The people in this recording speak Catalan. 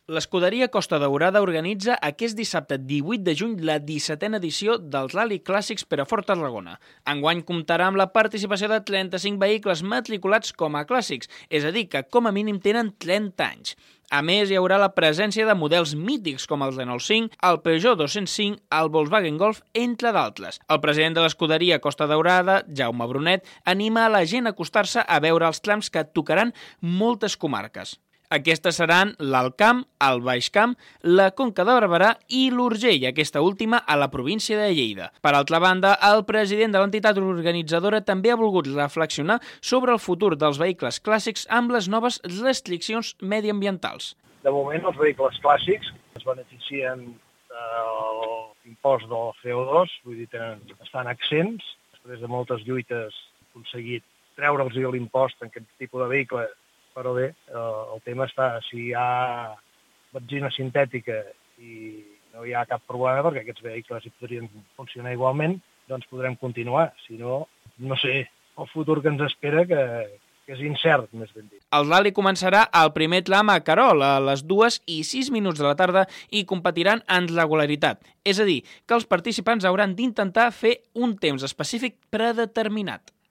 L'escuderia Costa Daurada organitza aquest dissabte 18 de juny la 17a edició dels Rally Clàssics per a Fort Tarragona. Enguany comptarà amb la participació de 35 vehicles matriculats com a clàssics, és a dir, que com a mínim tenen 30 anys. A més, hi haurà la presència de models mítics com el Renault 5, el Peugeot 205, el Volkswagen Golf, entre d'altres. El president de l'escuderia Costa Daurada, Jaume Brunet, anima a la gent a acostar-se a veure els trams que tocaran moltes comarques. Aquestes seran l'Alt Camp, el Baix Camp, la Conca de Barberà i l'Urgell, aquesta última a la província de Lleida. Per altra banda, el president de l'entitat organitzadora també ha volgut reflexionar sobre el futur dels vehicles clàssics amb les noves restriccions mediambientals. De moment, els vehicles clàssics es beneficien de l'impost del CO2, vull dir, estan exempts. Després de moltes lluites han aconseguit treure'ls l'impost en aquest tipus de vehicle. Però bé, el tema està, si hi ha benzina sintètica i no hi ha cap problema perquè aquests vehicles hi podrien funcionar igualment, doncs podrem continuar. Si no, no sé, el futur que ens espera que és incert, més ben dit. El rally començarà al primer tram a Querol a les 2:06 de la tarda i competiran en regularitat. És a dir, que els participants hauran d'intentar fer un temps específic predeterminat.